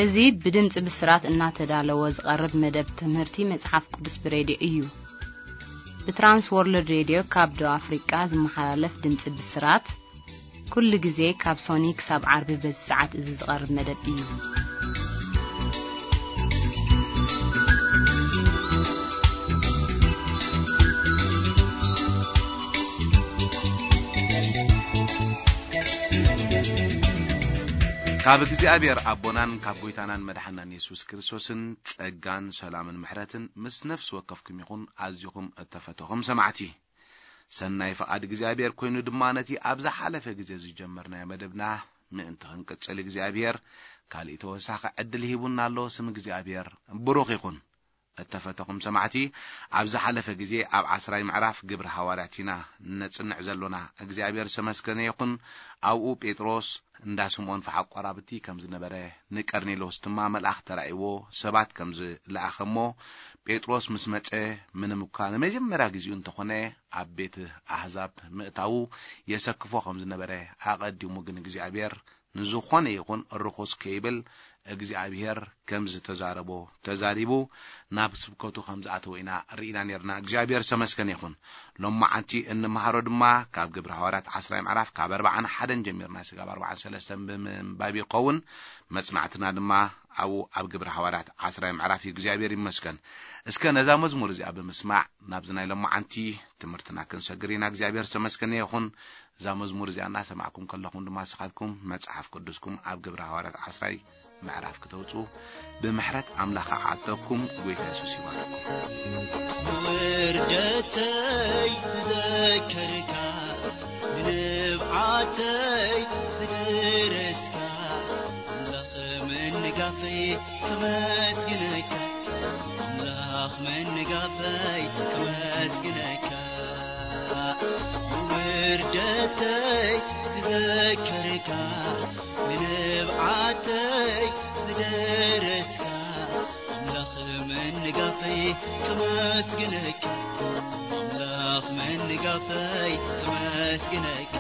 እዚ ብድምፂ ብስራት እናተዳለወ ዝቐርብ መደብ ትምህርቲ መጽሓፍ ቅዱስ ብሬድዮ እዩ። ብትራንስ ወርልድ ሬድዮ ካብ ደቡብ ኣፍሪቃ ዝመሓላለፍ ድምፂ ብስራት፣ ኩሉ ግዜ ካብ ሶኒ ክሳብ ዓርቢ በዚ ሰዓት እዚ ዝቐርብ መደብ እዩ። ካብ እግዚኣብሔር ኣቦናን ካብ ጎይታናን መድሓናን የሱስ ክርስቶስን ጸጋን ሰላምን ምሕረትን ምስ ነፍሲ ወከፍኩም ይኹን። ኣዚኹም እተፈተኹም ሰማዕቲ፣ ሰናይ ፍቓድ እግዚኣብሔር ኮይኑ ድማ ነቲ ኣብ ዝሓለፈ ግዜ ዝጀመርናዮ መደብና ምእንቲ ክንቅጽል እግዚኣብሔር ካልእ ተወሳኺ ዕድል ሂቡና ኣሎ። ስም እግዚኣብሔር ብሩኽ ይኹን። እተፈተኹም ሰማዕቲ፣ ኣብ ዝሓለፈ ግዜ ኣብ ዓስራይ ምዕራፍ ግብሪ ሃዋርያት ኢና ነጽንዕ ዘሎና። እግዚኣብሔር ዝተመስገነ ይኹን። ኣብኡ ጴጥሮስ እንዳ ስምዖን ፈሓቕ ቆራብቲ ከም ዝነበረ፣ ንቀርኔሎስ ድማ መልኣኽ ተራእይዎ ሰባት ከም ዝለኣኸ እሞ፣ ጴጥሮስ ምስ መጸ፣ ምንም እኳ ንመጀመርያ ግዜኡ እንተኾነ ኣብ ቤት ኣህዛብ ምእታዉ የሰክፎ ከም ዝነበረ፣ ኣቐዲሙ ግን እግዚኣብሔር ንዝኾነ ይኹን ርኹስ ከይብል እግዚኣብሔር ከም ዝተዛረቦ ተዛሪቡ ናብ ስብከቱ ከም ዝኣተወ ኢና ርኢና ነርና። እግዚኣብሔር ዝተመስገነ ይኹን። ሎማዓንቲ እንመሃሮ ድማ ካብ ግብሪ ሃዋርያት ዓስራይ ምዕራፍ ካብ ኣርባዓን ሓደን ጀሚርና ስጋብ ኣርባዓን ሰለስተን ብምንባብ ይኸውን። መጽናዕትና ድማ ኣብኡ ኣብ ግብሪ ሃዋርያት ዓስራይ ምዕራፍ እዩ። እግዚኣብሔር ይመስገን። እስከ ነዛ መዝሙር እዚኣ ብምስማዕ ናብዚ ናይ ሎማዓንቲ ትምህርትና ክንሰግር ኢና። እግዚኣብሔር ዝተመስገነ ይኹን። እዛ መዝሙር እዚኣ እናሰማዕኩም ከለኹም ድማ ንስኻትኩም መጽሓፍ ቅዱስኩም ኣብ ግብሪ ሃዋርያት ዓስራይ ምዕራፍ ክተውጽኡ ብምሕረት ኣምላኽ ዓተኩም። ጎይታ የሱስ ይባርኩም። ንውርደተይ ዝዘከርካ፣ ንንብዓተይ ዝደረስካ፣ ኣምላኽ መንጋፈይ ከመስግነካ፣ ኣምላኽ መንጋፈይ ከመስግነካ። ንውርደተይ ዝዘከርካ፣ ንንብዓተይ ዝደረስካ፣ ኣምላኽ መንጋፈይ ከመስግነካ፣ ኣምላኽ መንጋፈይ ከመስግነካ።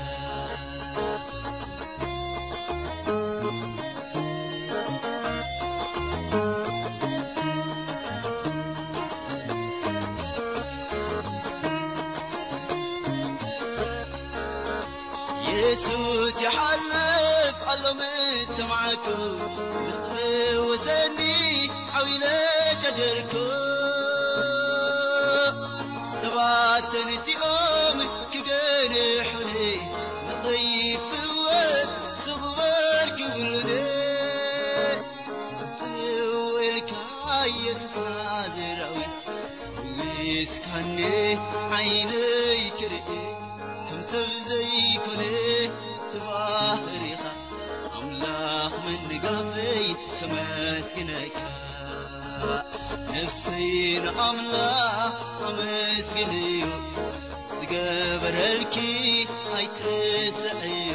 የሱስ ይሓልፍ ኣሎ ምስ ሰማዕኩ፣ ንኽፈውሰኒ ሓው ኢለ ጨደርኩ። ሰባት ተንቲኦም ክገንሑኒ፣ ንኸይፍወስ ስቕ በል ክብሉኒ። ጽው ኢልካ የሱስ ናዝራዊ፣ ፈዊስካኒ ዓይነይ ክርኢ፣ ከም ሰብ ዘይኮነ እቲ ባህሪኻ፣ ኣምላኽ መንጋፈይ ከመስግነካ። ነፍሰይ ንኣምላኽ ኣመስግንዮ፣ ዝገበረልኪ ኣይትረስዕዮ።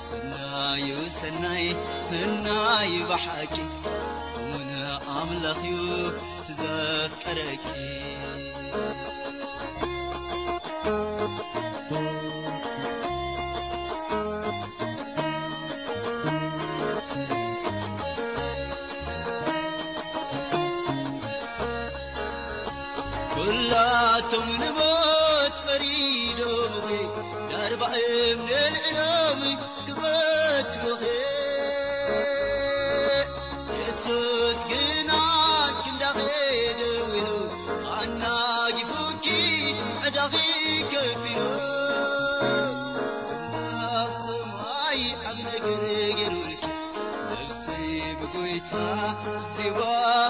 ሰናዩ ሰናይ፣ ሰናይ ብሓቂ፣ እሙን ኣምላኽዩ ትዘፍቀረኪ። ኩላቶም ንሞት ፈሪዶምኺ፣ ዳርባ እምኒ ኣልዒሎም ክቐትሉኺ። የሱስ ግና ክንዳኺ ደዊሉ፣ ኣናጊፉኪ ዕዳኺ ከፊሉ። ኣምላኽ ሰማይ ዓቢ ነገር ገይሩልኪ፣ ነፍሰይ ብጎይታ ዜማ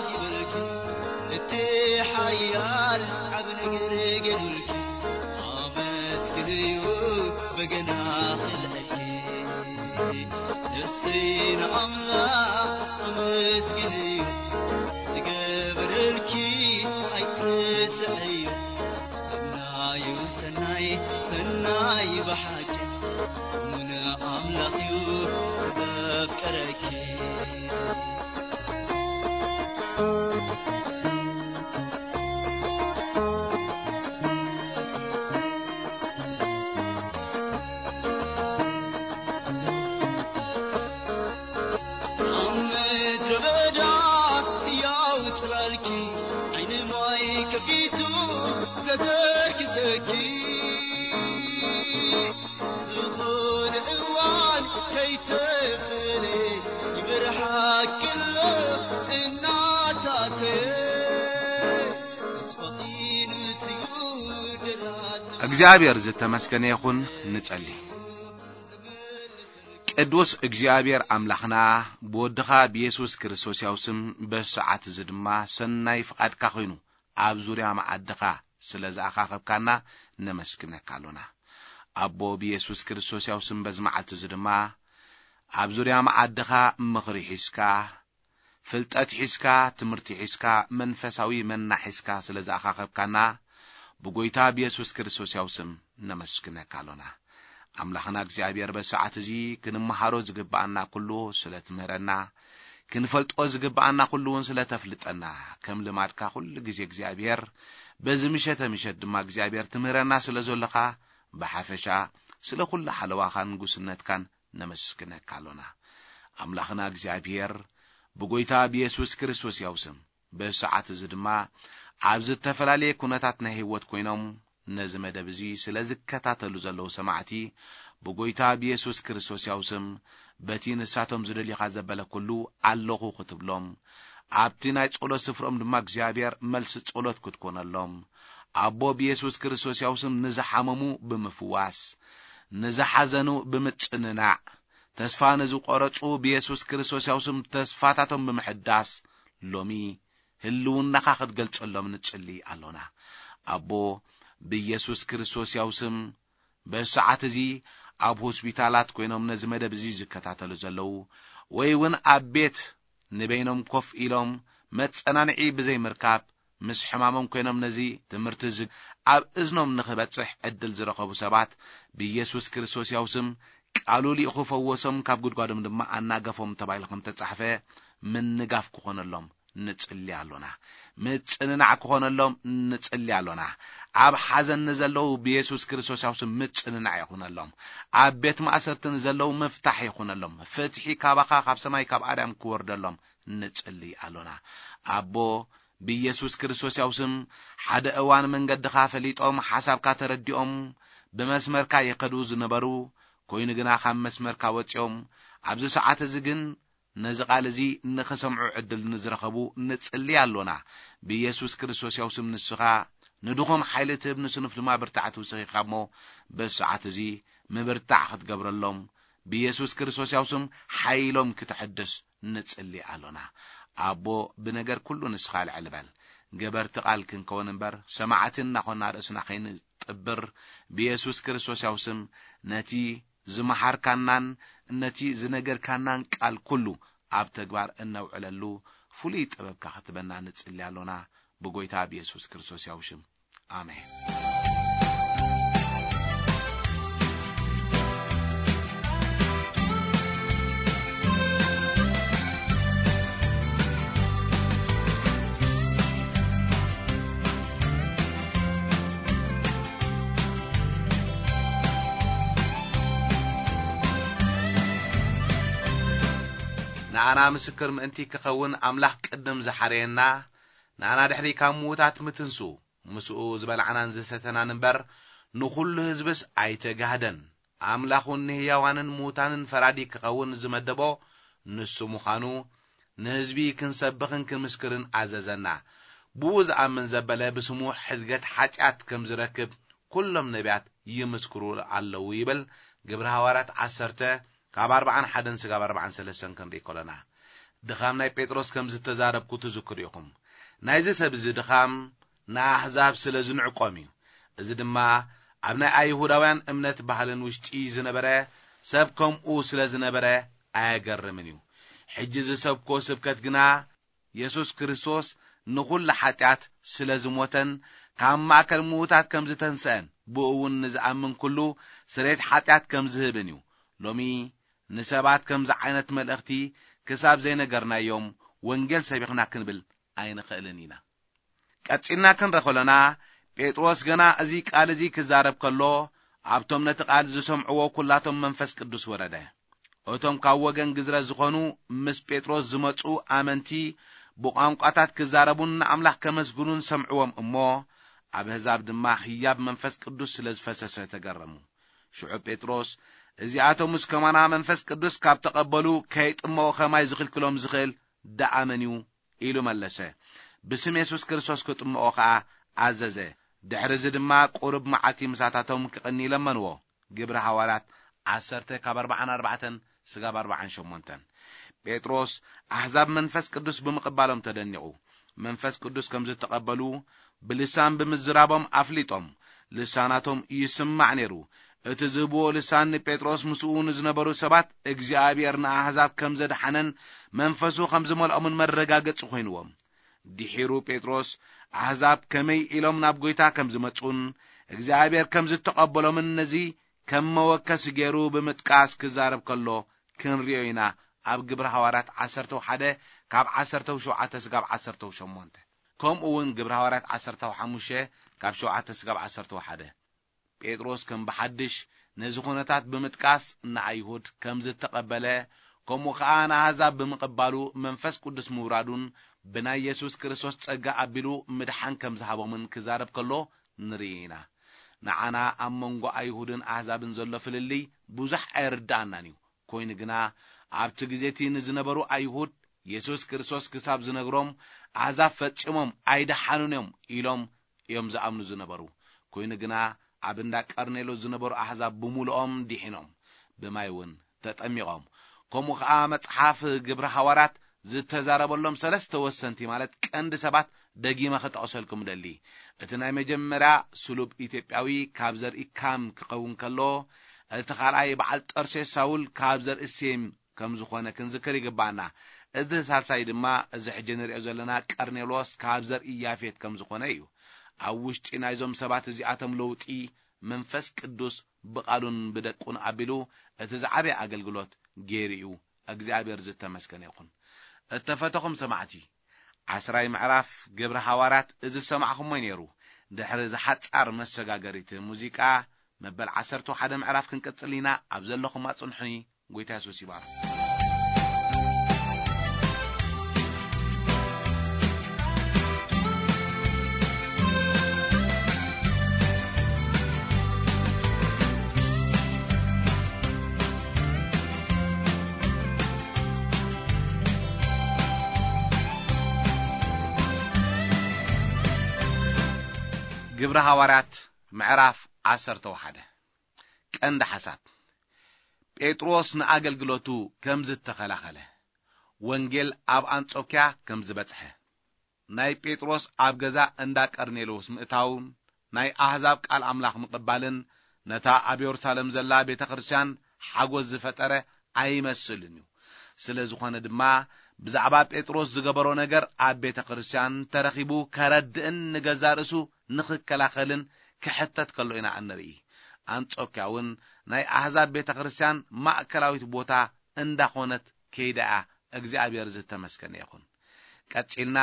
ይበልኪ። እቲ ሓያል ዓቢ ነገር ገይሩልኪ፣ ኣመስግንዮ በገና ክልዕልኪ። ነፍሰይ ንኣምላኽ ኣመስግንዮ፣ ዝገበረልኪ ኣይትረስዕዮ። ሰናዩ ሰናይ፣ ሰናይ ብሓቂ፣ እሙን ኣምላኽዩ ዘፍቀረኪ። ኣብ ምድሪ በዳ ያውፅላልኪ ዓይኒ ማይ ከፊቱ ዘተክዘኪ ዝኾነ እዋን ከይተፈለ ይብርሃክሎ እናታተ ተስፋኺን ስዩ ደላት እግዚኣብሔር ዝተመስገነ ይኹን። ንጸሊ። ቅዱስ እግዚኣብሔር ኣምላኽና፣ ብወድኻ ብየሱስ ክርስቶስ ያው ስም በዚ ሰዓት እዚ ድማ ሰናይ ፍቓድካ ኮይኑ ኣብ ዙርያ መዓድኻ ስለ ዝኣኻኸብካና ነመስግነካ ኣሎና። ኣቦ ብየሱስ ክርስቶስ ያው ስም በዚ መዓልቲ እዚ ድማ ኣብ ዙርያ መዓድኻ ምኽሪ ሒዝካ፣ ፍልጠት ሒዝካ፣ ትምህርቲ ሒዝካ፣ መንፈሳዊ መና ሒዝካ ስለ ዝኣኻኸብካና ብጎይታ ብየሱስ ክርስቶስ ያው ስም ነመስግነካ ኣሎና። ኣምላኽና እግዚኣብሔር በዚ ሰዓት እዚ ክንመሃሮ ዝግብኣና ኩሉ ስለ ትምህረና፣ ክንፈልጦ ዝግብኣና ኩሉ እውን ስለ ተፍልጠና፣ ከም ልማድካ ኩሉ ግዜ እግዚኣብሔር በዚ ምሸተ ምሸት ድማ እግዚኣብሔር ትምህረና ስለ ዘሎኻ ብሓፈሻ ስለ ኩሉ ሓለዋኻን ንጉስነትካን ነመስግነካ ኣሎና። ኣምላኽና እግዚኣብሔር ብጎይታ ብየሱስ ክርስቶስ ያው ስም በዚ ሰዓት እዚ ድማ ኣብ ዝተፈላለየ ኩነታት ናይ ህይወት ኮይኖም ነዚ መደብ እዚ ስለ ዝከታተሉ ዘለዉ ሰማዕቲ ብጎይታ ብየሱስ ክርስቶስ ያው ስም በቲ ንሳቶም ዝደልዩኻ ዘበለ ኩሉ ኣለኹ ክትብሎም ኣብቲ ናይ ጸሎት ስፍሮም ድማ እግዚኣብሔር መልሲ ጸሎት ክትኮነሎም ኣቦ ብየሱስ ክርስቶስ ያው ስም ንዝሓመሙ ብምፍዋስ ንዝሓዘኑ ብምጽንናዕ ተስፋ ንዝቆረጹ ብየሱስ ክርስቶስ ያው ስም ተስፋታቶም ብምሕዳስ ሎሚ ህልውናኻ ክትገልጸሎም ንጽሊ ኣሎና። ኣቦ ብየሱስ ክርስቶስ ያው ስም በዚ ሰዓት እዚ ኣብ ሆስፒታላት ኮይኖም ነዚ መደብ እዚ ዝከታተሉ ዘለዉ ወይ እውን ኣብ ቤት ንበይኖም ኮፍ ኢሎም መጸናንዒ ብዘይምርካብ ምስ ሕማሞም ኮይኖም ነዚ ትምህርቲ እዚ ኣብ እዝኖም ንኽበጽሕ ዕድል ዝረኸቡ ሰባት ብኢየሱስ ክርስቶስ ያው ስም ቃሉ ሊእኹ ፈወሶም ካብ ጉድጓዶም ድማ ኣናገፎም ተባሂሉ ከም ተጻሕፈ ምንጋፍ ክኾነሎም ንጽሊ ኣሎና። ምጽንናዕ ክኾነሎም ንጽሊ ኣሎና። ኣብ ሓዘን ንዘለዉ ብኢየሱስ ክርስቶስ ያው ስም ምጽንናዕ ይኹነሎም። ኣብ ቤት ማእሰርቲ ንዘለዉ ምፍታሕ ይኹነሎም። ፍትሒ ካባኻ ካብ ሰማይ ካብ ኣርያም ክወርደሎም ንጽሊ ኣሎና። ኣቦ ብኢየሱስ ክርስቶስ ያው ስም ሓደ እዋን መንገድኻ ፈሊጦም ሓሳብካ ተረዲኦም ብመስመርካ ይኸዱ ዝነበሩ ኮይኑ ግና ካብ መስመርካ ወጺኦም ኣብዚ ሰዓት እዚ ግን ነዚ ቃል እዚ ንኽሰምዑ ዕድል ንዝረኸቡ ንጽሊ ኣሎና። ብኢየሱስ ክርስቶስ ያው ስም ንስኻ ንድኹም ሓይሊ ትህብ ንስኑፍ ድማ ብርታዕ ትውስኺካ እሞ በዚ ሰዓት እዚ ምብርታዕ ክትገብረሎም ብኢየሱስ ክርስቶስ ያው ስም ሓይሎም ክትሕድስ ንጽሊ ኣሎና። ኣቦ ብነገር ኩሉ ንስኻ ልዕል በል። ገበርቲ ቃል ክንከውን እምበር ሰማዕቲ እናኾና ርእስና ከይንጥብር ብኢየሱስ ክርስቶስ ያው ስም ነቲ ዝመሓርካናን ነቲ ዝነገርካናን ቃል ኩሉ ኣብ ተግባር እነውዕለሉ ፍሉይ ጥበብካ ክትበና ንጽሊ ኣሎና ብጎይታ ብኢየሱስ ክርስቶስ ያው ሽም። ኣሜን። ንኣና ምስክር ምእንቲ ክኸውን ኣምላኽ ቅድም ዝሓረየና ንኣና ድሕሪ ካብ ምዉታት ምትንሱ ምስኡ ዝበላዕናን ዝሰተናን እምበር ንኹሉ ህዝብስ ኣይተጋህደን። ኣምላኽ እውን ንህያዋንን ምዉታንን ፈራዲ ክኸውን ዝመደቦ ንሱ ምዃኑ ንህዝቢ ክንሰብኽን ክንምስክርን ኣዘዘና። ብኡ ዝኣምን ዘበለ ብስሙ ሕድገት ሓጢኣት ከም ዝረክብ ኩሎም ነቢያት ይምስክሩ ኣለዉ ይብል ግብሪ ሃዋርያት ዓሰርተ ካብ ኣርባዓን ሓደን ስጋብ ኣርባዓን ሰለስተን ክንርኢ ከሎና ድኻም ናይ ጴጥሮስ ከም ዝተዛረብኩ ትዝክሩ ኢኹም። ናይዚ ሰብ እዚ ድኻም ንኣሕዛብ ስለ ዝንዕቆም እዩ። እዚ ድማ ኣብ ናይ ኣይሁዳውያን እምነት ባህልን ውሽጢ ዝነበረ ሰብ ከምኡ ስለ ዝነበረ ኣየገርምን እዩ። ሕጂ ዝሰብኮ ስብከት ግና የሱስ ክርስቶስ ንኹሉ ሓጢኣት ስለ ዝሞተን ካብ ማእከል ምዉታት ከም ዝተንስአን ብኡ እውን ንዝኣምን ኩሉ ስሬት ሓጢኣት ከም ዝህብን እዩ። ሎሚ ንሰባት ከምዚ ዓይነት መልእኽቲ ክሳብ ዘይነገርናዮም ወንጌል ሰቢኽና ክንብል ኣይንኽእልን ኢና። ቀጺልና ክንረ ከሎና ጴጥሮስ ገና እዚ ቃል እዚ ክዛረብ ከሎ ኣብቶም ነቲ ቃል ዝሰምዕዎ ኩላቶም መንፈስ ቅዱስ ወረደ። እቶም ካብ ወገን ግዝረት ዝኾኑ ምስ ጴጥሮስ ዝመጹ ኣመንቲ ብቋንቋታት ክዛረቡን ንኣምላኽ ከመስግኑን ሰምዕዎም እሞ፣ ኣብ ኣህዛብ ድማ ህያብ መንፈስ ቅዱስ ስለ ዝፈሰሰ ተገረሙ። ሽዑ ጴጥሮስ፣ "እዚኣቶምስ ከማና መንፈስ ቅዱስ ካብ ተቐበሉ ከይጥመቑ ከማይ ዝኽልክሎም ዝኽእል ደኣ መን እዩ?" ኢሉ መለሰ። ብስም የሱስ ክርስቶስ ክጥምቖ ኸኣ ኣዘዘ። ድሕሪ እዚ ድማ ቁሩብ መዓልቲ ምሳታቶም ክቕኒ ለመንዎ። ግብሪ ሃዋርያት ዓሰርተ ካብ ኣርብዓን ኣርባዕተን ስጋብ ኣርብዓን ሸሞንተን። ጴጥሮስ ኣህዛብ መንፈስ ቅዱስ ብምቕባሎም ተደኒቑ። መንፈስ ቅዱስ ከም ዝተቐበሉ ብልሳን ብምዝራቦም ኣፍሊጦም። ልሳናቶም ይስማዕ ነይሩ። እቲ ዝህብዎ ልሳን ንጴጥሮስ ምስኡ ንዝነበሩ ሰባት እግዚኣብሔር ንኣህዛብ ከም ዘድሓነን መንፈሱ ከም ዝመልኦምን መረጋገጺ ኮይንዎም። ድሒሩ ጴጥሮስ ኣህዛብ ከመይ ኢሎም ናብ ጐይታ ከም ዝመጹን እግዚኣብሔር ከም ዝተቐበሎምን ነዚ ከም መወከሲ ገይሩ ብምጥቃስ ክዛረብ ከሎ ክንሪኦ ኢና። ኣብ ግብሪ ሃዋርያት ዓሰርተ ሓደ ካብ ዓሰርተ ሸውዓተ ስጋብ ዓሰርተ ሸሞንተ፣ ከምኡ እውን ግብሪ ሃዋርያት ዓሰርተ ሓሙሽተ ካብ ሸውዓተ ስጋብ ዓሰርተ ሓደ። ጴጥሮስ ከም ብሓድሽ ነዚ ኩነታት ብምጥቃስ ንኣይሁድ ከም ዝተቐበለ፣ ከምኡ ኸኣ ንኣህዛብ ብምቕባሉ መንፈስ ቅዱስ ምውራዱን ብናይ የሱስ ክርስቶስ ጸጋ ኣቢሉ ምድሓን ከም ዝሃቦምን ክዛረብ ከሎ ንርኢ ኢና። ንዓና ኣብ መንጎ ኣይሁድን ኣህዛብን ዘሎ ፍልልይ ብዙሕ ኣይርድኣናን እዩ። ኮይኑ ግና ኣብቲ ግዜ እቲ ንዝነበሩ ኣይሁድ የሱስ ክርስቶስ ክሳብ ዝነግሮም ኣህዛብ ፈጺሞም ኣይደሓኑን እዮም ኢሎም እዮም ዝኣምኑ ዝነበሩ። ኮይኑ ግና ኣብ እንዳ ቀርኔሎስ ዝነበሩ ኣህዛብ ብምሉኦም ድሒኖም፣ ብማይ እውን ተጠሚቖም። ከምኡ ኸኣ መጽሓፍ ግብሪ ሃዋርያት ዝተዛረበሎም ሰለስተ ወሰንቲ ማለት ቀንዲ ሰባት ደጊመ ክጠቕሰልኩም እደሊ። እቲ ናይ መጀመርያ ስሉብ ኢትዮጵያዊ ካብ ዘርኢ ካም ክኸውን ከሎ፣ እቲ ካልኣይ በዓል ጠርሴስ ሳውል ካብ ዘርኢ ሴም ከም ዝኾነ ክንዝክር ይግባኣና። እዚ ሳልሳይ ድማ እዚ ሕጂ ንሪኦ ዘለና ቀርኔሎስ ካብ ዘርኢ ያፌት ከም ዝኾነ እዩ። ኣብ ውሽጢ ናይዞም ሰባት እዚኣቶም ለውጢ መንፈስ ቅዱስ ብቓሉን ብደቁን ኣቢሉ እቲ ዝዓበየ ኣገልግሎት ገይሩ እዩ። እግዚኣብሔር ዝተመስገነ ይኹን። እተፈተኹም ሰማዕቲ፣ ዓስራይ ምዕራፍ ግብሪ ሃዋርያት እዚ ዝሰማዕኹሞ እዩ ነይሩ። ድሕሪ ዝሓጻር መሰጋገሪት ሙዚቃ፣ መበል ዓሰርተ ሓደ ምዕራፍ ክንቅጽል ኢና። ኣብ ዘለኹም ኣጽንሑኒ። ጎይታ የሱስ ይባርክ። ግብሪ ሃዋርያት ምዕራፍ ዓሰርተ ሓደ። ቀንዲ ሓሳብ፣ ጴጥሮስ ንኣገልግሎቱ ከም ዝተኸላኸለ፣ ወንጌል ኣብ ኣንጾክያ ከም ዝበጽሐ፣ ናይ ጴጥሮስ ኣብ ገዛ እንዳ ቀርኔሎስ ምእታውን ናይ ኣህዛብ ቃል ኣምላኽ ምቕባልን ነታ ኣብ የሩሳሌም ዘላ ቤተ ክርስቲያን ሓጎስ ዝፈጠረ ኣይመስልን እዩ። ስለ ዝኾነ ድማ ብዛዕባ ጴጥሮስ ዝገበሮ ነገር ኣብ ቤተ ክርስቲያን ተረኺቡ ከረድእን ንገዛ ርእሱ ንኽከላኸልን ክሕተት ከሎ ኢና እንርኢ። ኣንጾክያ እውን ናይ ኣህዛብ ቤተ ክርስቲያን ማእከላዊት ቦታ እንዳኾነት ከይዳ እያ። እግዚኣብሔር ዝተመስገነ ይኹን። ቀጺልና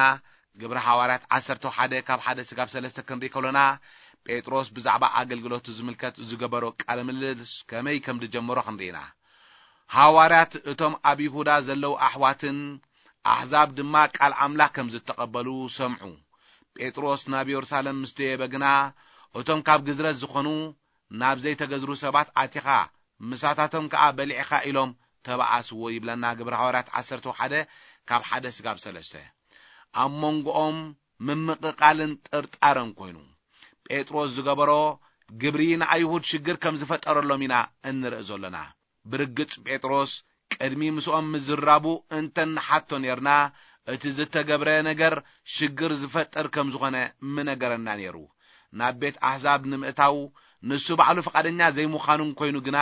ግብሪ ሃዋርያት ዓሰርተ ሓደ ካብ ሓደ ስጋብ ሰለስተ ክንርኢ ከሎና፣ ጴጥሮስ ብዛዕባ ኣገልግሎቱ ዝምልከት ዝገበሮ ቃለ ምልልስ ከመይ ከም ዝጀመሮ ክንርኢ ኢና። ሃዋርያት እቶም ኣብ ይሁዳ ዘለዉ ኣሕዋትን ኣሕዛብ ድማ ቃል ኣምላኽ ከም ዝተቐበሉ ሰምዑ። ጴጥሮስ ናብ የሩሳሌም ምስ ደየበ ግና፣ እቶም ካብ ግዝረት ዝኾኑ ናብ ዘይተገዝሩ ሰባት ኣቲኻ፣ ምሳታቶም ከኣ በሊዕኻ ኢሎም ተባኣስዎ ይብለና ግብሪ ሃዋርያት ዓሰርተ ሓደ ካብ ሓደ ስጋብ ሰለስተ። ኣብ መንጎኦም ምምቕቓልን ጥርጣረን ኮይኑ፣ ጴጥሮስ ዝገበሮ ግብሪ ንኣይሁድ ሽግር ከም ዝፈጠረሎም ኢና እንርኢ ዘሎና። ብርግጽ ጴጥሮስ ቅድሚ ምስኦም ምዝራቡ እንተ ንሓቶ ኔርና፣ እቲ ዝተገብረ ነገር ሽግር ዝፈጥር ከም ዝኾነ ምነገረና ኔሩ። ናብ ቤት ኣሕዛብ ንምእታው ንሱ ባዕሉ ፍቓደኛ ዘይምዃኑን ኮይኑ ግና፣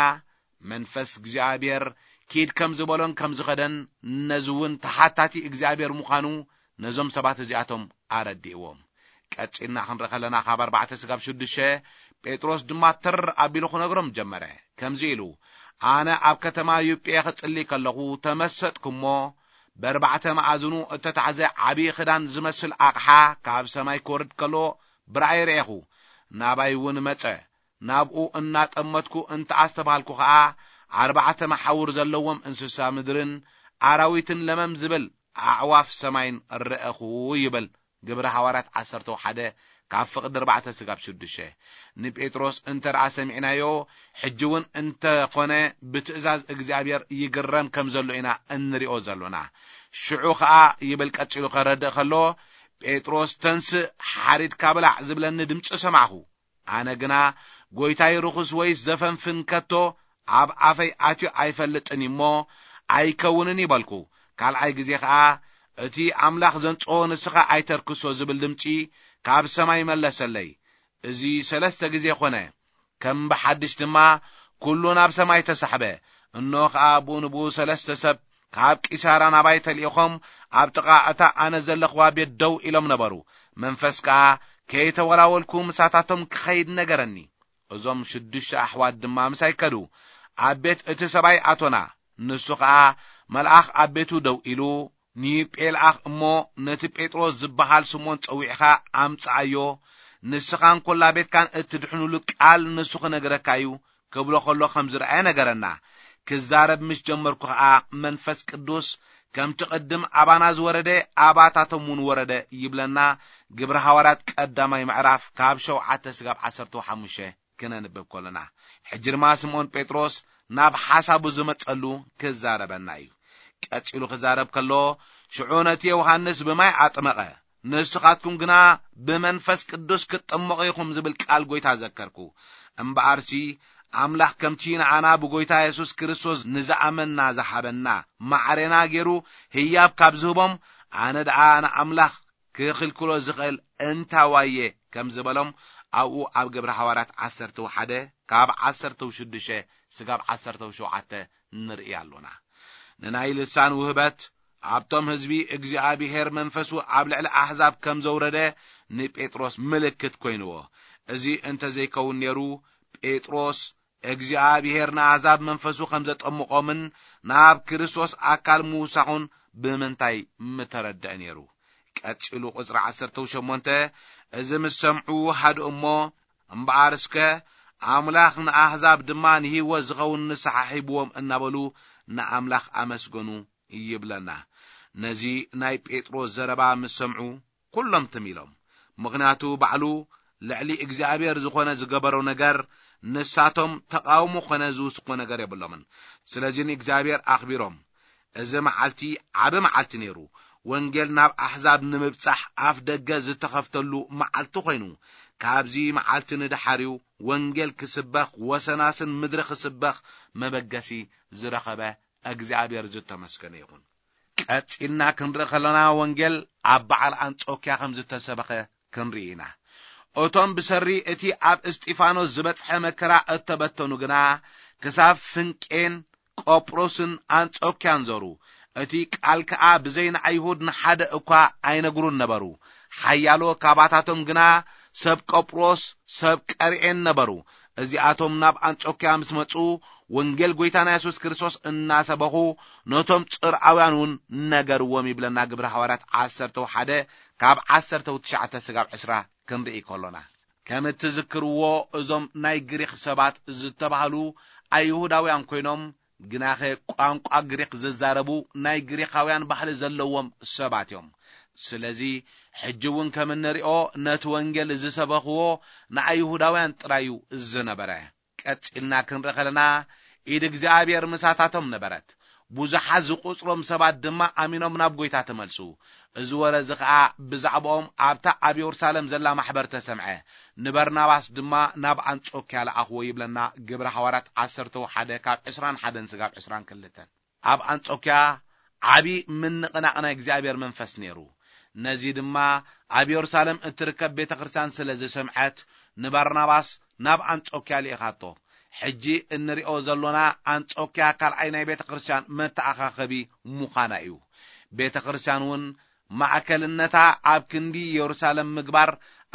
መንፈስ እግዚኣብሔር ኪድ ከም ዝበሎን ከም ዝኸደን፣ ነዚ እውን ተሓታቲ እግዚኣብሔር ምዃኑ ነዞም ሰባት እዚኣቶም ኣረዲእዎም። ቀጺልና ክንርኢ ከለና፣ ካብ ኣርባዕተ ስጋብ ሽዱሽተ፣ ጴጥሮስ ድማ ተር ኣቢሉ ክነግሮም ጀመረ። ከምዚ ኢሉ፣ ኣነ ኣብ ከተማ ዩጴ ክጽሊ ከለኹ ተመሰጥኩ እሞ፣ በርባዕተ መኣዝኑ እተታሕዘ ዓብዪ ክዳን ዝመስል ኣቕሓ ካብ ሰማይ ክወርድ ከሎ ብራእይ ርኤኹ። ናባይ እውን መጸ። ናብኡ እናጠመትኩ እንተ ኣስተብሃልኩ ኸኣ፣ ኣርባዕተ መሓውር ዘለዎም እንስሳ ምድርን ኣራዊትን ለመም ዝብል ኣዕዋፍ ሰማይን ረእኹ ይብል። ግብሪ ሃዋርያት ዓሰርተ ሓደ ካብ ፍቕዲ ኣርባዕተ ስጋብ ሽዱሽተ። ንጴጥሮስ እንተ ደኣ ሰሚዕናዮ፣ ሕጂ እውን እንተ ኾነ ብትእዛዝ እግዚኣብሔር ይግረም ከም ዘሎ ኢና እንሪኦ ዘሎና። ሽዑ ኸኣ ይብል ቀጺሉ ከረድእ ከሎ፣ "ጴጥሮስ ተንስእ፣ ሓሪድካ ብላዕ" ዝብለኒ ድምጺ ሰማዕኹ። ኣነ ግና፣ "ጐይታይ ርኹስ ወይስ ዘፈንፍን ከቶ ኣብ ኣፈይ ኣትዩ ኣይፈልጥን እዩ እሞ ኣይከውንን" ይበልኩ። ካልኣይ ግዜ ኸኣ፣ "እቲ ኣምላኽ ዘንጽኦ ንስኻ ኣይተርክሶ" ዝብል ድምጺ ካብ ሰማይ መለሰለይ። እዚ ሰለስተ ግዜ ኾነ። ከም ብሓድሽ ድማ ኩሉ ናብ ሰማይ ተሳሕበ። እንሆ ኸኣ ብኡ ንብኡ ሰለስተ ሰብ ካብ ቂሳራ ናባይ ተልኢኾም ኣብ ጥቓ እታ ኣነ ዘለኽዋ ቤት ደው ኢሎም ነበሩ። መንፈስ ከኣ ከይተወላወልኩ ምሳታቶም ክኸይድ ነገረኒ። እዞም ሽዱሽተ ኣሕዋት ድማ ምሳይ ከዱ። ኣብ ቤት እቲ ሰብኣይ ኣቶና። ንሱ ኸኣ መልኣኽ ኣብ ቤቱ ደው ኢሉ፣ "ንዮጴ ልኣኽ እሞ ነቲ ጴጥሮስ ዝበሃል ስምዖን ጸዊዕኻ ኣምጽኣዮ። ንስኻን ኰላ ቤትካን እትድሕኑሉ ቃል ንሱ ክነግረካ እዩ" ክብሎ ኸሎ ኸም ዝረኣየ ነገረና። ክዛረብ ምስ ጀመርኩ ኸኣ መንፈስ ቅዱስ ከምቲ ቅድም ኣባና ዝወረደ ኣባታቶም እውን ወረደ ይብለና። ግብሪ ሃዋርያት ቀዳማይ ምዕራፍ ካብ ሸውዓተ ስጋብ ዓሰርተ ሓሙሽተ ክነንብብ ከለና። ሕጂ ድማ ስምዖን ጴጥሮስ ናብ ሓሳቡ ዝመጸሉ ክዛረበና እዩ። ቀጺሉ ክዛረብ ከሎ፣ "ሽዑ ነቲ ዮሃንስ ብማይ ኣጥመቐ፣ ንስኻትኩም ግና ብመንፈስ ቅዱስ ክትጥመቑ ኢኹም" ዝብል ቃል ጐይታ ዘከርኩ። እምበኣርሲ፣ ኣምላኽ ከምቲ ንኣና ብጐይታ የሱስ ክርስቶስ ንዝኣመንና ዝሃበና ማዕሬና ገይሩ ህያብ ካብ ዝህቦም፣ ኣነ ደኣ ንኣምላኽ ክኽልክሎ ዝኽእል እንታዋየ ከም ዝበሎም ኣብኡ ኣብ ግብሪ ሃዋርያት ዓሰርተ ሓደ ካብ ዓሰርተ ሽዱሽተ ስጋብ ዓሰርተ ሸውዓተ ንርኢ ኣሎና። ንናይ ልሳን ውህበት ኣብቶም ህዝቢ እግዚኣብሔር መንፈሱ ኣብ ልዕሊ ኣሕዛብ ከም ዘውረደ ንጴጥሮስ ምልክት ኮይንዎ። እዚ እንተ ዘይከውን ነይሩ፣ ጴጥሮስ እግዚኣብሔር ንኣሕዛብ መንፈሱ ከም ዘጠምቖምን ናብ ክርስቶስ ኣካል ምውሳኹን ብምንታይ ምተረድአ ነይሩ? ቀጺሉ ቁጽሪ ዓሰርተ ሸሞንተ፣ "እዚ ምስ ሰምዑ ሃድኡ እሞ፣ እምበኣር እስከ ኣምላኽ ንኣሕዛብ ድማ ንህይወት ዝኸውን ንስሓ ሂብዎም" እናበሉ ንኣምላኽ ኣመስገኑ ይብለና። ነዚ ናይ ጴጥሮስ ዘረባ ምስ ሰምዑ፣ ኩሎም ትም ኢሎም። ምኽንያቱ ባዕሉ ልዕሊ እግዚኣብሔር ዝኾነ ዝገበሮ ነገር፣ ንሳቶም ተቓውሞ ኮነ ዝውስኮ ነገር የብሎምን። ስለዚ ንእግዚኣብሔር ኣኽቢሮም። እዚ መዓልቲ ዓቢ መዓልቲ ነይሩ። ወንጌል ናብ ኣሕዛብ ንምብጻሕ ኣፍ ደገ ዝተኸፍተሉ መዓልቲ ኮይኑ፣ ካብዚ መዓልቲ ንድሓሪው ወንጌል ክስበኽ፣ ወሰናስን ምድሪ ክስበኽ መበገሲ ዝረኸበ እግዚኣብሔር ዝተመስገነ ይኹን። ቀጺልና ክንርኢ ከለና፣ ወንጌል ኣብ በዓል ኣንጾክያ ከም ዝተሰበኸ ክንርኢ ኢና። እቶም ብሰሪ እቲ ኣብ እስጢፋኖስ ዝበጽሐ መከራ እተበተኑ ግና፣ ክሳብ ፍንቄን ቆጵሮስን ኣንጾክያን ዞሩ። እቲ ቃል ከኣ ብዘይ ንኣይሁድ ንሓደ እኳ ኣይነግሩን ነበሩ። ሓያሎ ካባታቶም ግና ሰብ ቆጵሮስ፣ ሰብ ቀርኤን ነበሩ። እዚኣቶም ናብ ኣንጾክያ ምስ መጹ፣ ወንጌል ጐይታና የሱስ ክርስቶስ እናሰበኹ፣ ነቶም ጽርኣውያን እውን ነገርዎም ይብለና ግብሪ ሃዋርያት ዓሰርተ ሓደ ካብ ዓሰርተ ትሽዓተ ስጋብ ዕስራ ክንርኢ ከሎና። ከም እትዝክርዎ፣ እዞም ናይ ግሪኽ ሰባት ዝተባህሉ ኣይሁዳውያን ኮይኖም፣ ግናኸ ቋንቋ ግሪኽ ዝዛረቡ ናይ ግሪኻውያን ባህሊ ዘለዎም ሰባት እዮም። ስለዚ፣ ሕጂ እውን ከም እንሪኦ፣ ነቲ ወንጌል ዝሰበኽዎ ንኣይሁዳውያን ጥራይ እዩ ዝነበረ። ቀጺልና ክንርኢ ከለና፣ ኢድ እግዚኣብሔር ምሳታቶም ነበረት። ብዙሓት ዝቑጽሮም ሰባት ድማ ኣሚኖም ናብ ጐይታ ተመልሱ። እዚ ወረ እዚ ኸኣ ብዛዕባኦም ኣብታ ኣብ የሩሳሌም ዘላ ማሕበር ተሰምዐ። ንበርናባስ ድማ ናብ ኣንጾክያ ለኣኽዎ ይብለና ግብሪ ሃዋርያት ዓሰርተ ሓደ ካብ ዕስራን ሓደን ስጋብ ዕስራን ክልተን። ኣብ ኣንጾክያ ዓቢ ምንቕናቕ ናይ እግዚኣብሔር መንፈስ ነይሩ። ነዚ ድማ ኣብ የሩሳሌም እትርከብ ቤተ ክርስቲያን ስለ ዝሰምዐት፣ ንባርናባስ ናብ ኣንጾክያ ልኢኻቶ። ሕጂ እንሪኦ ዘሎና ኣንጾክያ ካልኣይ ናይ ቤተ ክርስቲያን መተኣኻኸቢ ምዃና እዩ። ቤተ ክርስቲያን እውን ማእከልነታ ኣብ ክንዲ የሩሳሌም ምግባር፣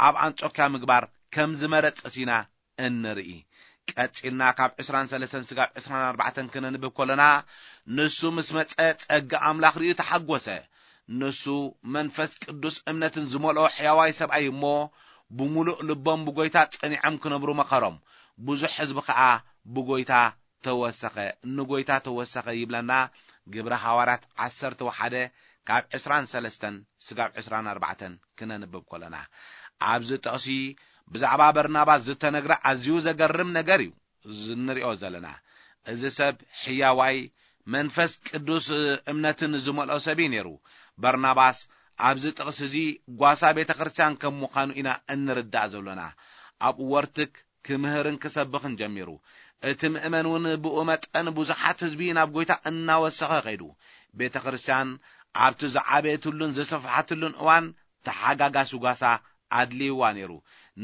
ኣብ ኣንጾክያ ምግባር ከም ዝመረጸት ኢና እንርኢ። ቀጺልና ካብ ዕስራን ሰለስተን ስጋብ ዕስራን ኣርባዕተን ክነንብብ ከለና፣ ንሱ ምስ መጸ ጸጋ ኣምላኽ ርእዩ ተሓጎሰ። ንሱ መንፈስ ቅዱስ እምነትን ዝመልኦ ሕያዋይ ሰብኣይ እሞ፣ ብምሉእ ልቦም ብጐይታ ጸኒዖም ክነብሩ መኸሮም። ብዙሕ ህዝቢ ኸኣ ብጐይታ ተወሰኸ፣ ንጎይታ ተወሰኸ ይብለና። ግብረ ሃዋርያት ዓሰርተ ሓደ ካብ ዕስራን ሰለስተን ስጋብ ዕስራን ኣርባዕተን ክነንብብ ከለና፣ ኣብዚ ጥቕሲ ብዛዕባ በርናባስ ዝተነግረ ኣዝዩ ዘገርም ነገር እዩ እንሪኦ ዘለና። እዚ ሰብ ሕያዋይ፣ መንፈስ ቅዱስ እምነትን ዝመልኦ ሰብ እዩ ነይሩ። በርናባስ ኣብዚ ጥቕሲ እዚ ጓሳ ቤተ ክርስቲያን ከም ምዃኑ ኢና እንርዳእ ዘሎና። ኣብኡ ወርትክ ክምህርን ክሰብኽን ጀሚሩ። እቲ ምእመን እውን ብኡ መጠን ብዙሓት ህዝቢ ናብ ጎይታ እናወሰኸ ከይዱ። ቤተ ክርስቲያን ኣብቲ ዝዓበየትሉን ዝሰፍሓትሉን እዋን ተሓጋጋሲ ጓሳ ኣድልይዋ ነይሩ።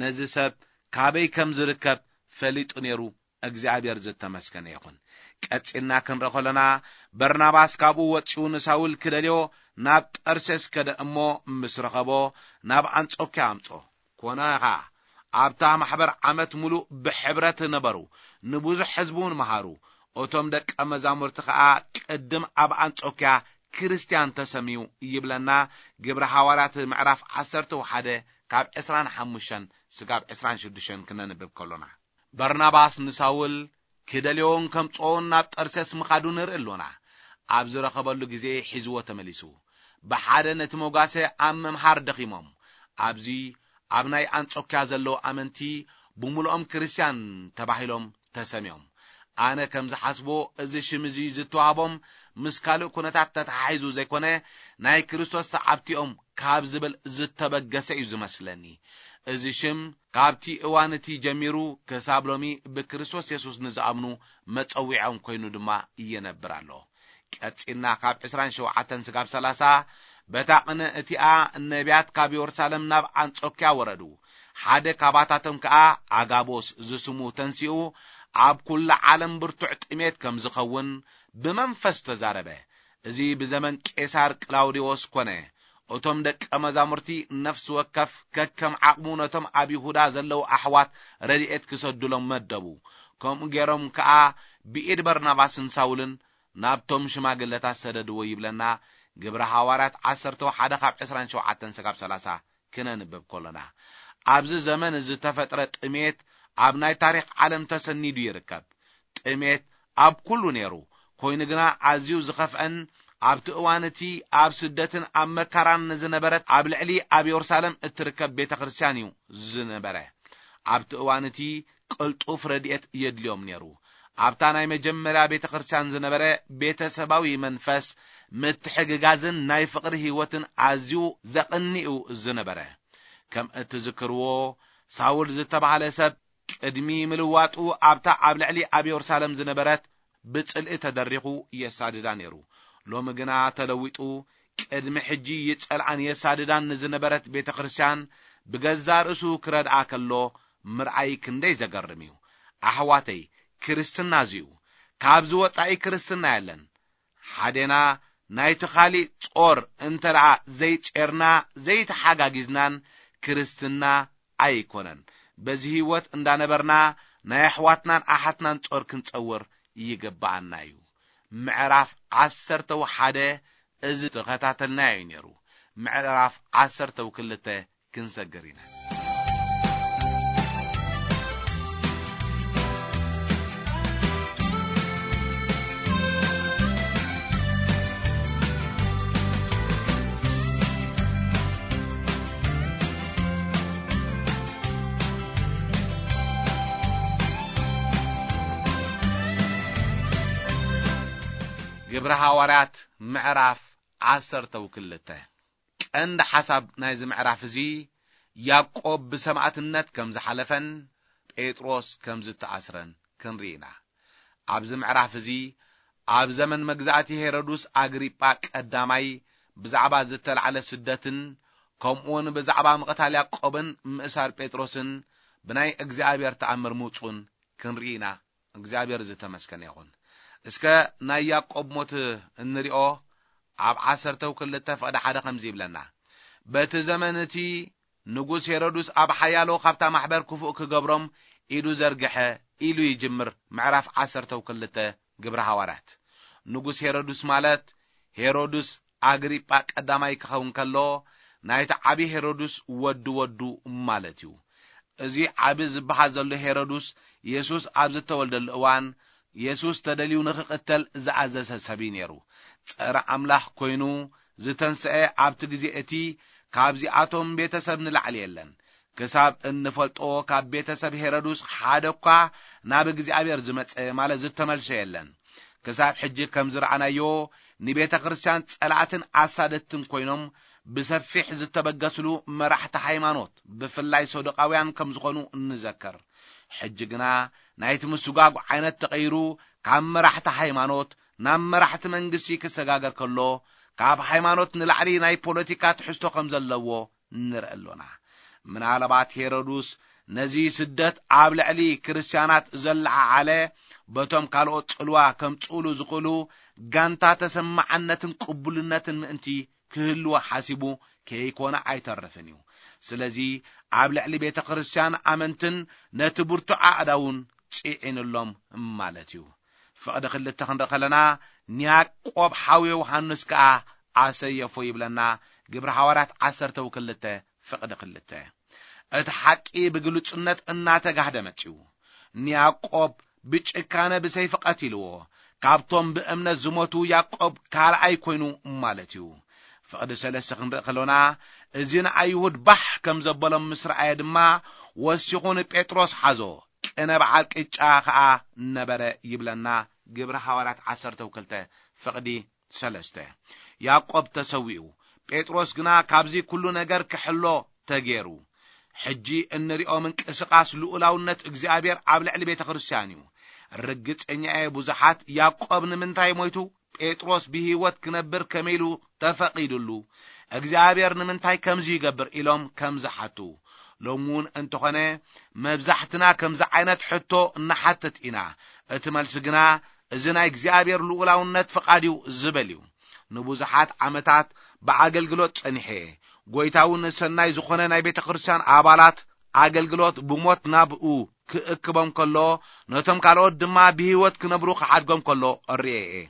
ነዚ ሰብ ካበይ ከም ዝርከብ ፈሊጡ ነይሩ። እግዚኣብሔር ዝተመስገነ ይኹን። ቀጺልና ክንርኢ ከለና፣ በርናባስ ካብኡ ወጺኡ ንሳውል ክደልዮ ናብ ጠርሴስ ከደ እሞ፣ ምስ ረኸቦ ናብ ኣንጾኪያ ኣምጾ። ኮነ ኸኣ፣ ኣብታ ማሕበር ዓመት ሙሉእ ብሕብረት ነበሩ፣ ንብዙሕ ህዝቢ እውን መሃሩ። እቶም ደቀ መዛሙርቲ ኸኣ ቅድም ኣብ ኣንጾኪያ ክርስትያን ተሰምዩ ይብለና። ግብረ ሃዋርያት ምዕራፍ ዓሰርተ ሓደ ካብ ዕስራን ሓሙሽተን ስጋብ ዕስራን ሽዱሽተን ክነንብብ ከሎና፣ በርናባስ ንሳውል ክደልዮን ከምጽኦን ናብ ጠርሴስ ምኻዱ ንርኢ ኣሎና። ኣብ ዝረኸበሉ ግዜ ሒዝዎ ተመሊሱ። ብሓደ ነቲ መጓሰ ኣብ ምምሃር ደኺሞም። ኣብዚ ኣብ ናይ ኣንጾኪያ ዘለዉ ኣመንቲ ብምሉኦም ክርስትያን ተባሂሎም ተሰምዮም። ኣነ ከም ዝሓስቦ፣ እዚ ሽም እዚ ዝተዋህቦም ምስ ካልእ ኩነታት ተተሓሒዙ ዘይኮነ፣ ናይ ክርስቶስ ሰዓብቲኦም ካብ ዝብል ዝተበገሰ እዩ ዝመስለኒ። እዚ ሽም ካብቲ እዋን እቲ ጀሚሩ ክሳብ ሎሚ ብክርስቶስ የሱስ ንዝኣምኑ መጸዊዖም ኮይኑ ድማ ይነብር ኣሎ። ቀጺልና ካብ ዕስራን ሸውዓተን ስጋብ ሰላሳ፣ በታ ቅነ እቲኣ ነቢያት ካብ የሩሳሌም ናብ ኣንጾኪያ ወረዱ። ሓደ ካባታቶም ከኣ ኣጋቦስ ዝስሙ ተንሲኡ፣ ኣብ ኩሉ ዓለም ብርቱዕ ጥሜት ከም ዝኸውን ብመንፈስ ተዛረበ። እዚ ብዘመን ቄሳር ቅላውዲዎስ ኮነ። እቶም ደቀ መዛሙርቲ ነፍሲ ወከፍ ከከም ዓቕሙ ነቶም ኣብ ይሁዳ ዘለዉ ኣሕዋት ረድኤት ክሰዱሎም መደቡ። ከምኡ ገይሮም ከኣ ብኢድ በርናባስን ሳውልን ናብቶም ሽማግለታት ሰደድዎ ይብለና። ግብረ ሃዋርያት ዓሰርተ ሓደ ካብ ዕስራን ሸውዓተን ስጋብ ሰላሳ ክነንብብ ከሎና፣ ኣብዚ ዘመን ዝተፈጥረ ጥሜት ኣብ ናይ ታሪኽ ዓለም ተሰኒዱ ይርከብ። ጥሜት ኣብ ኩሉ ነይሩ፣ ኮይኑ ግና ኣዝዩ ዝኸፍአን ኣብቲ እዋን እቲ ኣብ ስደትን ኣብ መከራን ዝነበረት ኣብ ልዕሊ ኣብ የሩሳሌም እትርከብ ቤተ ክርስቲያን እዩ ዝነበረ። ኣብቲ እዋን እቲ ቅልጡፍ ረድኤት የድልዮም ነይሩ። ኣብታ ናይ መጀመርያ ቤተ ክርስቲያን ዝነበረ ቤተሰባዊ መንፈስ ምትሕግጋዝን ናይ ፍቕሪ ህይወትን ኣዝዩ ዘቕንእ እዩ ዝነበረ። ከም እትዝክርዎ፣ ሳውል ዝተባህለ ሰብ ቅድሚ ምልዋጡ ኣብታ ኣብ ልዕሊ ኣብ የሩሳሌም ዝነበረት ብጽልኢ ተደሪኹ የሳድዳ ነይሩ። ሎሚ ግና ተለዊጡ፣ ቅድሚ ሕጂ ይጸልኣን የሳድዳን ንዝነበረት ቤተ ክርስቲያን ብገዛ ርእሱ ክረድኣ ከሎ ምርኣይ ክንደይ ዘገርም እዩ። ኣሕዋተይ፣ ክርስትና እዚ እዩ። ካብዚ ወጻኢ ክርስትና የለን። ሓዴና ናይቲ ኻሊእ ጾር እንተ ደኣ ዘይጼርና፣ ዘይተሓጋጊዝናን፣ ክርስትና ኣይኮነን። በዚ ህይወት እንዳነበርና ናይ ኣሕዋትናን ኣሓትናን ጾር ክንጸውር ይግብኣና እዩ። ምዕራፍ ዓሰርተ ሓደ እዚ ተኸታተልናዮ እዩ ነይሩ። ምዕራፍ ዓሰርተ ክልተ ክንሰግር ኢና። ግብረ ሃዋርያት ምዕራፍ ዓሰርተ ክልተ። ቀንዲ ሓሳብ ናይዚ ምዕራፍ እዚ፣ ያዕቆብ ብሰማእትነት ከም ዝሓለፈን ጴጥሮስ ከም ዝተኣስረን ክንርኢ ኢና። ኣብዚ ምዕራፍ እዚ፣ ኣብ ዘመን መግዛእቲ ሄሮድስ ኣግሪጳ ቀዳማይ ብዛዕባ ዝተላዕለ ስደትን፣ ከምኡውን ብዛዕባ ምቕታል ያዕቆብን ምእሳር ጴጥሮስን ብናይ እግዚኣብሔር ተኣምር ምውጹን ክንርኢ ኢና። እግዚኣብሔር ዝተመስገነ ይኹን። እስከ ናይ ያዕቆብ ሞት እንሪኦ። ኣብ ዓሰርተ ክልተ ፍቕዲ ሓደ ከምዚ ይብለና፣ በቲ ዘመን እቲ ንጉስ ሄሮድስ ኣብ ሓያሎ ካብታ ማሕበር ክፉእ ክገብሮም ኢዱ ዘርግሐ ኢሉ ይጅምር። ምዕራፍ ዓሰርተ ክልተ ግብረ ሃዋርያት። ንጉስ ሄሮድስ ማለት ሄሮድስ ኣግሪጳ ቀዳማይ ክኸውን ከሎ፣ ናይቲ ዓቢ ሄሮድስ ወዲ ወዱ ማለት እዩ። እዚ ዓቢ ዝበሃል ዘሎ ሄሮድስ፣ የሱስ ኣብ ዝተወልደሉ እዋን፣ የሱስ ተደልዩ ንኽቕተል ዝኣዘዘ ሰብ እዩ ነይሩ። ጸረ ኣምላኽ ኮይኑ ዝተንስአ ኣብቲ ግዜ እቲ ካብዚኣቶም ቤተሰብ ንላዕሊ የለን። ክሳብ እንፈልጦ ካብ ቤተሰብ ሄሮድስ ሓደ እኳ ናብ እግዚኣብሔር ዝመጸ ማለት ዝተመልሰ የለን። ክሳብ ሕጂ ከም ዝረኣናዮ ንቤተ ክርስቲያን ጸላእትን ኣሳደድትን ኮይኖም ብሰፊሕ ዝተበገስሉ መራሕቲ ሃይማኖት ብፍላይ ሰዱቃውያን ከም ዝኾኑ እንዘከር። ሕጂ ግና ናይቲ ምስጓጉ ዓይነት ተቐይሩ ካብ መራሕቲ ሃይማኖት ናብ መራሕቲ መንግስቲ ክሰጋገር ከሎ ካብ ሃይማኖት ንላዕሊ ናይ ፖለቲካ ትሕዝቶ ከም ዘለዎ ንርኢ ኣሎና። ምናልባት ሄሮድስ ነዚ ስደት ኣብ ልዕሊ ክርስትያናት ዘለዓዓለ በቶም ካልኦት ጽልዋ ከምጽእሉ ዝኽእሉ ጋንታ ተሰማዓነትን ቅቡልነትን ምእንቲ ክህልዎ ሓሲቡ ከይኮነ ኣይተርፍን እዩ። ስለዚ ኣብ ልዕሊ ቤተ ክርስቲያን ኣመንትን ነቲ ብርቱዕ ኣእዳውን ጽዒንሎም ማለት እዩ። ፍቕዲ ክልተ ክንርኢ ከለና ንያዕቆብ ሓው ዮሃንስ ከኣ ኣሰየፎ ይብለና። ግብሪ ሃዋርያት ዓሰርተ ክልተ ፍቕዲ ክልተ። እቲ ሓቂ ብግሉጽነት እናተጋህደ መጺኡ። ንያዕቆብ ብጭካነ ብሰይፊ ቀቲልዎ። ካብቶም ብእምነት ዝሞቱ ያዕቆብ ካልኣይ ኮይኑ ማለት እዩ። ፍቕዲ ሰለስተ ክንርኢ ከሎና እዚ ንኣይሁድ ባሕ ከም ዘበሎም ምስ ረኣየ ድማ ወሲኹ ንጴጥሮስ ሓዞ። ቅነ በዓል ቅጫ ኸኣ ነበረ ይብለና። ግብሪ ሃዋርያት ዓሰርተ ክልተ ፍቕዲ ሰለስተ። ያዕቆብ ተሰዊኡ፣ ጴጥሮስ ግና ካብዚ ኩሉ ነገር ክሕሎ ተጌሩ። ሕጂ እንሪኦ ምንቅስቃስ ልኡላውነት እግዚኣብሔር ኣብ ልዕሊ ቤተ ክርስቲያን እዩ። ርግጸኛ እየ ብዙሓት ያዕቆብ ንምንታይ ሞይቱ ጴጥሮስ ብህይወት ክነብር ከመይ ኢሉ ተፈቒዱሉ እግዚኣብሔር ንምንታይ ከምዚ ይገብር ኢሎም ከም ዝሓቱ። ሎሚ እውን እንተኾነ መብዛሕትና ከምዚ ዓይነት ሕቶ ንሓትት ኢና። እቲ መልሲ ግና እዚ ናይ እግዚኣብሔር ልኡላውነት ፍቓድ እዩ ዝበል እዩ። ንብዙሓት ዓመታት ብኣገልግሎት ጸኒሐ እየ። ጎይታ እውን ሰናይ ዝኾነ ናይ ቤተ ክርስቲያን ኣባላት ኣገልግሎት ብሞት ናብኡ ክእክቦም ከሎ ነቶም ካልኦት ድማ ብህይወት ክነብሩ ክሓድጎም ከሎ እርእየ እየ።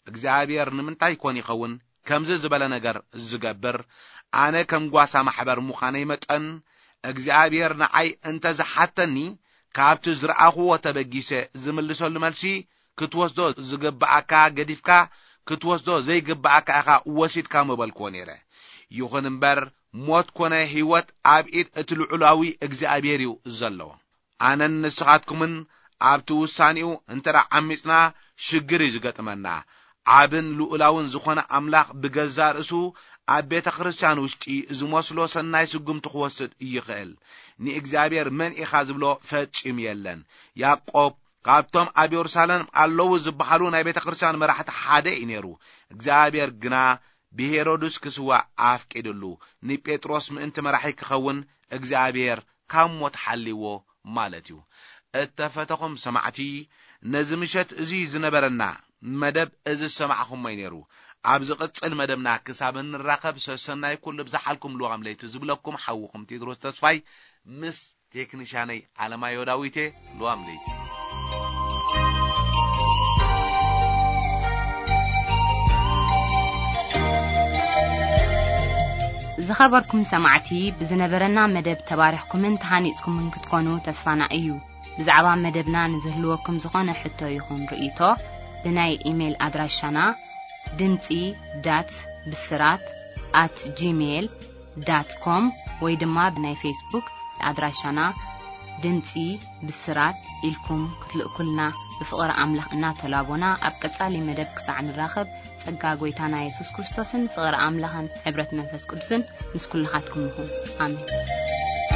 እግዚኣብሔር ንምንታይ ይኮን ይኸውን ከምዚ ዝበለ ነገር ዝገብር? ኣነ ከም ጓሳ ማሕበር ምዃነይ መጠን እግዚኣብሔር ንዓይ እንተ ዝሓተኒ ካብቲ ዝረኣኹዎ ተበጊሰ ዝምልሰሉ መልሲ ክትወስዶ ዝግብኣካ ገዲፍካ ክትወስዶ ዘይግብኣካ ኢኻ ወሲድካ ምበልክዎ ነይረ። ይኹን እምበር ሞት ኮነ ህይወት ኣብ ኢድ እቲ ልዑላዊ እግዚኣብሔር እዩ ዘሎ። ኣነን ንስኻትኩምን ኣብቲ ውሳኔኡ እንተ ደኣ ዓሚጽና ሽግር እዩ ዝገጥመና። ዓብን ልኡላውን ዝኾነ ኣምላኽ ብገዛ ርእሱ ኣብ ቤተ ክርስቲያን ውሽጢ ዝመስሎ ሰናይ ስጉምቲ ክወስድ ይኽእል። ንእግዚኣብሔር መን ኢኻ ዝብሎ ፈጺሙ የለን። ያዕቆብ ካብቶም ኣብ የሩሳሌም ኣለዉ ዝበሃሉ ናይ ቤተ ክርስቲያን መራሕቲ ሓደ እዩ ነይሩ። እግዚኣብሔር ግና ብሄሮድስ ክስዋእ ኣፍቂድሉ። ንጴጥሮስ ምእንቲ መራሒ ክኸውን እግዚኣብሔር ካብ ሞት ሓልይዎ ማለት እዩ። እተፈተኹም ሰማዕቲ፣ ነዚ ምሸት እዚ ዝነበረና መደብ እዚ ዝሰማዕኹሞ እዩ ነይሩ። ኣብ ዝቕጽል መደብና ክሳብ እንራኸብ ሰሰናይ ኩሉ ብዝሓልኩም ልዋም ለይቲ ዝብለኩም ሓውኹም ቴድሮስ ተስፋይ ምስ ቴክኒሻነይ ኣለማዮ ዳዊቴ። ልዋም ለይቲ። ዝኸበርኩም ሰማዕቲ፣ ብዝነበረና መደብ ተባሪኽኩምን ተሃኒጽኩምን ክትኮኑ ተስፋና እዩ። ብዛዕባ መደብና ንዝህልወኩም ዝኾነ ሕቶ ይኹን ርእይቶ፣ ብናይ ኢሜይል ኣድራሻና ድምጺ ዳት ብስራት ኣት ጂሜይል ዳት ኮም ወይ ድማ ብናይ ፌስቡክ ኣድራሻና ድምጺ ብስራት ኢልኩም ክትልእኩልና ብፍቕሪ ኣምላኽ እናተላቦና፣ ኣብ ቀጻሊ መደብ ክሳዕ ንራኸብ፣ ጸጋ ጐይታና የሱስ ክርስቶስን ፍቕሪ ኣምላኽን ሕብረት መንፈስ ቅዱስን ምስ ኩልኻትኩም ይኹን። ኣሜን።